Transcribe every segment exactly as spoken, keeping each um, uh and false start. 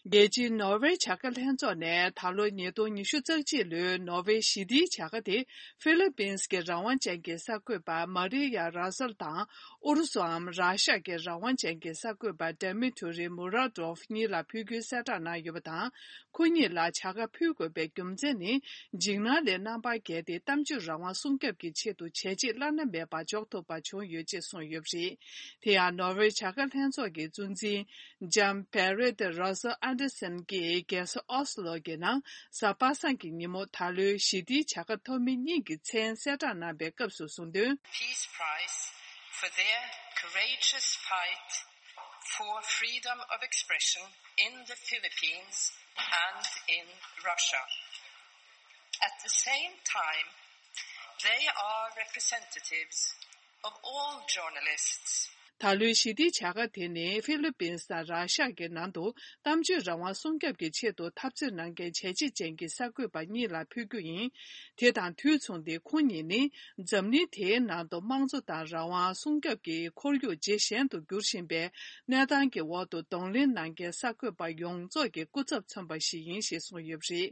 རྒྱལ་སྤྱིའི་ནོར་ཝེ་བྱ་དགའ་ལྷན་ཚོགས་ནས་ད་ལོ་ཉིས་སྟོང་ཉི་ཤུ་རྩ་གཅིག་ལོའི་ནོར་ཝེ་ཞི་བདེའི་བྱ་དགའ་དེ་ཧྥི་ལི་པིན་སི་གི་རང་དབང་ཅན་གྱི་གསར་འགོད་པ་མ་རི་ཡ་ར་སལ་དང་ཨུ་རུ་སུའམ་ར་ཤ་གི་རང་དབང་ཅན་གྱི་གསར་འགོད་པ་ཌ་མི་ཐུ་རི་མུ་ར་ཏོབ་གཉིས་ལ་ཕུལ་རྒྱུའི་གསལ་བསྒྲགས་གནང་ཡོད་པ་དང་། ཁོ་གཉིས་ལ་བྱ་དགའ་ཕུལ་དགོས་པའི་རྒྱུ་མཚན་ནི། འཇིགས་སྣང་ལས་རྣམ་པར་རྒྱལ་ཏེ་གཏམ་བརྗོད་རང་དབང་སྲུང་སྐྱོབ་ཀྱི་ཆེད་དུ་བྱས་རྗེས་བླ་ན་མེད་པ་འཇོག་ཐུབ་པ་བྱུང་ཡོད་ཅེས་གསུངས་ཡོད་པ་རེད། དེ་ཡང་ནོར་ཝེ་བྱ་དགའ་ལྷན་ཚོགས་ཀྱི་གཙོ་འཛིན། ལྕམ་བེ་རེད་རོ་སི་ཨན་ཌར་སན་གྱིས་རྒྱལ་ས་ཨོ་སི་ལོ་གི་ནང་གཟའ་པ་སངས་ཀྱི་ཉིན་མོ་ད་ལོའི་ཞི་བདེའི་བྱ་དགའ་ཐོབ་མི་གཉིས་ཀྱི་མཚན་གསལ་བསྒྲགས་གནང་པའི་སྐབས་སུ་གསུངས་དོན། Peace Prize for their courageous fight for freedom of expression in the Philippines and in Russia. At the same time, they are representatives of all journalists. ད་ལོའི་ཞི་བདེའི་བྱ་དགའ་དེ་ནི་ཧྥི་ལི་པིན་སི་དང་ར་ཤ་གི་ནང་དུ་གཏམ་བརྗོད་རང་དབང་སྲུང་སྐྱོབ་ཀྱི་ཆེད་དུ་འཐབ་རྩོད་གནང་མཁན་བྱས་རྗེས་ཅན་གྱི་གསར་འགོད་པ་གཉིས་ལ་ཕུལ་རྒྱུ་ཡིན། དེ་དང་དུས་མཚུངས་ཏེ་ཁོང་གཉིས་ནི་འཛམ་གླིང་དེའི་ནང་དུ་དམངས་གཙོ་དང་རང་དབང་སྲུང་སྐྱོབ་ཀྱི་ཁོར་ཡུག་ཇེ་ཞན་དུ་འགྱུར་བཞིན་པའི་གནས་སྟངས་ཀྱི་འོག་ཏུ་གདོང་ལེན་གནང་མཁན་གསར་འགོད་པ་ཡོངས་རྫོགས་ཀྱི་སྐུ་ཚབ་མཚོན་པ་ཞིག་ཡིན་ཞེས་གསུངས་ཡོད་པ་རེད།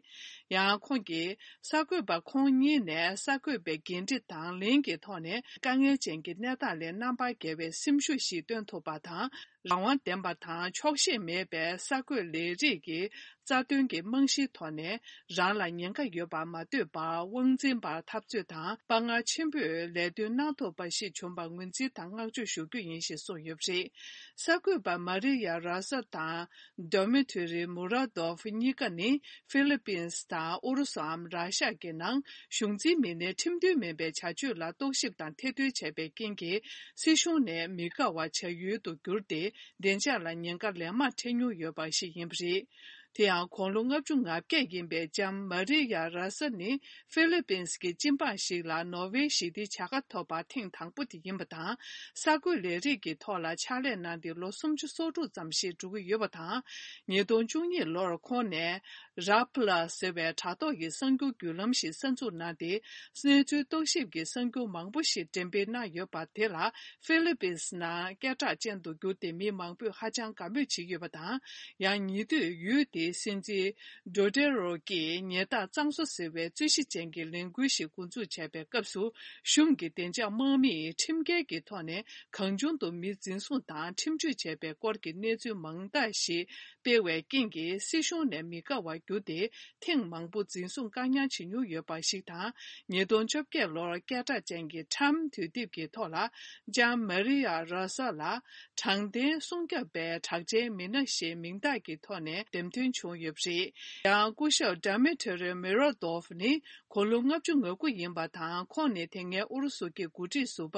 ཡང་ཁོང་གིས། གསར་འགོད་པ་ཁོང་གཉིས་ནས་གསར་འགོད་པའི་འགན་འཁྲི་དང་ལེན་གྱི་ཐོག་ནས་དཀའ་ངལ་ཅན་གྱི་གནས་སྟངས་ལས་རྣམ་པར་རྒྱལ་བའི་སེམས་ཤུགས་ཤིག་སྟོན་ཐུབ་པ་དང་། རང་དབང་ལྡན་པ་དང་ཆོག་ཤེས་མེད་པའི་གསར་འགོད་ལས་རིགས་ཀྱི་རྩ་དོན་གྱི་རྨང་གཞིའི་ཐོག་ནས་རང་ལ་ཉེན་ཁ་ཡོད་པར་མ་ལྟོས་པར་དབང་འཛིན་པར་འཐབ་རྩོད་དང་དཔའ་ངར་ཆེན་པོས་ལས་དོན་གནང་ཐུབ་པ་ཞིག་བྱུང་བར་ངོས་འཛིན་དང་བསྔགས་བརྗོད་ཞུ་རྒྱུ་ཡིན་ཞེས་གསུངས་ཡོད་པ་རེད། གསར་འགོད་པ་མ་རི་ཡ་ར་ས་དང་། ཌོ་མི་ཐུ་རི་མུ་ར་དོབ་གཉིས་ཀ་ནི་ཧྥི་ལི་པིན་སི་དང་ཨུ་རུ་སུའམ་ར་ཤ་གི་ནང་གཞུང་འཛིན་མི་སྣའི་ཁྲིམས་མཐུན་མིན་པའི་བྱ་སྤྱོད་ལ་རྟོག་ཞིབ་དང་ཐེར་འདོན་བྱས་པའི་རྐྱེན་གྱིས་སྲིད་གཞུང་ནས་མི་དགའ་བ་བྱ་ཡུལ་དུ་གྱུར་ཏེ་བདེ་འཇགས་ལ་ཉེན་ཁ་ལན་མང་འཕྲད་མྱོང་ཡོད་པ་ཞིག་ཡིན་པ་རེད། དེ་ཡང་དགུང་ལོ་ལྔ་བཅུ་ང་བརྒྱད་ཡིན་པའི་ལྕམ་མ་རི་ཡ་ར་ས་ནི་ཧྥི་ལི་པིན་སི་གི་སྤྱི་འབངས་ཤིག་ལ་ནོར་ཝེ་ཞི་བདེའི་བྱ་དགའ་ཐོབ་པ་ཐེངས་དང་པོ་དེ་ཡིན་པ་དང་། གསར་འགོད་ལས་རིགས་ཀྱི་ཐོག་ལ་ཕྱག་ལས་གནང་སྟེ་ལོ་སུམ་ཅུ་སོ་དྲུག་ཙམ་ཞིག་འགྲོ་གི་ཡོད་པ་དང་། ཉིས་སྟོང་བཅུ་གཉིས་ལོར་ཁོང་ནས་ར་ཕ་ལ་ཟེར་བའི་དྲ་ཐོག་གི་གསར་འགྱུར་བརྒྱུད་ལམ་ཞིག་གསར་འཛུགས་གནང་སྟེ། གནས་ཚུལ་རྟོག་ཞིབ་ཀྱི་གསར་འགྱུར་མང་པོ་ཞིག་འགྲེམས་སྤེལ་གནང་ཡོད་པ་དེ་ལ་ཧྥི་ལི་པིན་སི་ནང་སྐད་གྲགས་ཅན་དུ་གྱུར་ཏེ་མི་མང་པོས་ཧ་ཅང་དགའ་མོས་བྱེད་ཀྱི་ཡོད་པ་དང་། ཡང་ཉེ་དུས་ཡུལ་དེའི་སྲིད་འཛིན་ཌོ་ཏེ་རོ་གིས་ཉེས་རྟགས་གཙང་བཟོ་ཟེར་བའི་རྩོད་གཞི་ཅན་གྱི་ལས་འགུལ་ཞིག་འགོ་འཛུགས་བྱས་པའི་སྐབས་སུ། གཞུང་གི་བདེ་འཇགས་དམག་མིས་ཁྲིམས་འགལ་གྱི་ཐོག་ནས་གང་བྱུང་དུ་མི་འཛིན་བཟུང་དང་ཁྲིམས་གཅོད་བྱས་པའི་སྐོར་གྱི་གནས་ཚུལ་མང་དག་ཞིག་སྤེལ་བའི་རྐྱེན་གྱིས་སྲིད་གཞུང་ནས་མི་དགའ་བར་གྱུར་ཏེ། ཐེངས་མང་པོ་འཛིན་བཟུང་བཀག་ཉར་བྱེད་མྱོང་ཡོད་པ་ཞིག་དང་། ཉིས་སྟོང་བཅོ་བརྒྱད་ལོར་སྐད་གྲགས་ཅན་གྱི་ཊའིམ་དུས་དེབ་ཀྱི་ཐོག་ལ། ལྕམ་མ་རི་ཡ་ར་ས་ལ། དྲང་བདེན་སྲུང་སྐྱོབ་པའི་གྲགས་ཅན་མི་སྣ་ཞེས་མིང་རྟགས་ཀྱི་ཐོག་ནས་འདེམས་ཐོན་བྱུང་ཡོད་པ་རེད། ཡང་སྐུ་ཞབས་ཌ་མི་ཐི་རི་མེ་རོ་དོབ་ནི། དགུང་ལོ་ལྔ་བཅུ་ང་དགུ་ཡིན་པ་དང་། ཁོང་ནི་དེ་སྔའི་ཨུ་རུ་སུ་གི་འགོ་ཁྲིད་ཟུར་པ་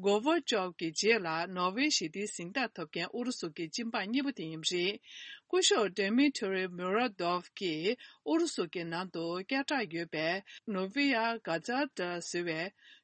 གོ་ཝར་ཅོབ་ཀྱི་རྗེས་ལ་ནོ་བྷེལ་ཞི་བདེའི་གཟེངས་རྟགས་ཐོབ་མཁན་ཨུ་རུ་སུ་གི་སྤྱི་འབངས་གཉིས་པ་དེ་ཡིན་པ་རེད། སྐུ་ཞབས་ཌ་མི་ཐི་རི་མུ་ར་དོབ་ཀྱིས་ཨུ་རུ་སུ་གི་ནང་དུ་སྐད་གྲགས་ཡོད་པའི་ནོ་ཝི་ཡ་ག་ཛ་ཏྲ་ཟེར་བའི་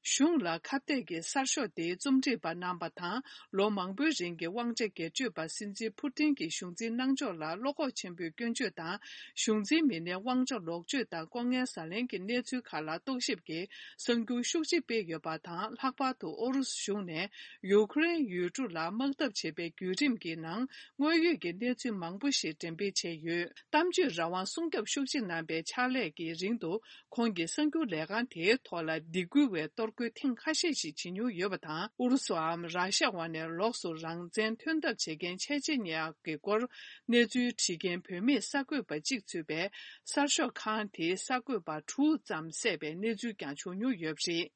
གཞུང་ལ་ཁ་གཏད་ཀྱི་གསར་ཤོག་དེའི་རྩོམ་སྒྲིག་པ་གནང་པ་དང་། ལོ་མང་པོའི་རིང་གི་དབང་ཆ་སྒེར་གཅོད་པ་སྲིད་འཛིན་ཕུ་ཏིན་གྱི་གཞུང་འཛིན་གནང་ཕྱོགས་ལ་བློ་ཁོག་ཆེན་པོས་སྐྱོན་བརྗོད་དང་། གཞུང་འཛིན་མི་སྣའི་དབང་ཆ་ལོག་སྤྱོད་དང་ལྐོག་རྔན་ཟ་ལེན་གྱི་གནས་ཚུལ་ཁག་ལ་རྟོག་ཞིབ་ཀྱི་གསར་འགྱུར་ཤུགས་ཆེ་སྤེལ་ཡོད་པ་དང་། ལྷག་པར་དུ་ཨུ་རུ་སུ་གཞུང་ནས་ཡུ་ཁུ་རེན་ཡུལ་གྲུ་ལ་དམག་འཐབ་བྱེད་པའི་བརྒྱུད་རིམ་གྱི་ནང་དངོས་ཡོད་ཀྱི་གནས་ཚུལ་མང་པོ་ཞིག་འགྲེམས་སྤེལ་བྱས་ཡོད། གཏམ་བརྗོད་རང་དབང་སྲུང་སྐྱོབ་ཤུགས་ཆེ་གནང་པའི་ཕྱག་ལས་ཀྱི་རིང་དུ། ཁོང་གིས་གསར་འགྱུར་ལས་ཁང་དེའི་ཐོག་ལ་སྡིགས་སྐུལ་བའི་གཏོར་རྒོལ་ཐེངས་ཁ་ཤས་ཤིག་བྱེད་མྱོང་ཡོད་པ་དང་། ཨུ་རུ་སུའམ་ར་ཤ་བ་ནས་ལོགས་སུ་རང་བཙན་ཐོན་ཐབས་བྱེད་མཁན་ཆེ་ཆེ་ཉེ་ཡག་གི་སྐོར་གནས་ཚུལ་བྲིས་མཁན་བུད་མེད་གསར་འགོད་པ་གཅིག་ཚུད་པའི་གསར་ཤོག་ཁང་དེའི་གསར་འགོད་པ་དྲུག་ཙམ་བསད་པའི་གནས་ཚུལ་ཀྱང་བྱུང་མྱོང་ཡོད་པ་རེད།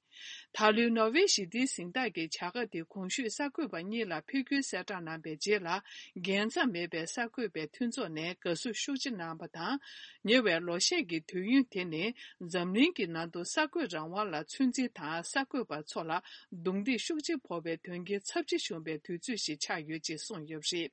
ད་ལོའི་ནོ་བྷེལ་ཞི་བདེའི་གཟེངས་རྟགས་ཀྱི་བྱ་དགའ་དེ་གོང་ཞུས་གསར་འགོད་པ་གཉིས་ལ་ཕུལ་རྒྱུའི་གསལ་བསྒྲགས་གནང་པའི་རྗེས་ལ། རྒྱལ་མཚམས་མེད་པའི་གསར་འགོད་པའི་མཐུན་ཚོགས་ནས་དགའ་བསུ་ཤུགས་ཆེ་གནང་བ་དང་། ཉེ་བའི་ལོ་ཤས་ཀྱི་དུས་ཡུན་དེ་ནི་འཛམ་གླིང་གི་ནང་དུ་གསར་འགོད་རང་དབང་ལ་ཚོད་འཛིན་དང་། གསར་འགོད་པ་ཚོ་ལ་རྡུང་རྡེག་ཤུགས་ཆེ་ཕོག་པའི་དོན་རྐྱེན་ཚབས་ཆེ་བྱུང་བའི་དུས་ཚོད་ཞིག་ཆགས་ཡོད་ཅེས་གསུངས་ཡོད་པ་རེད།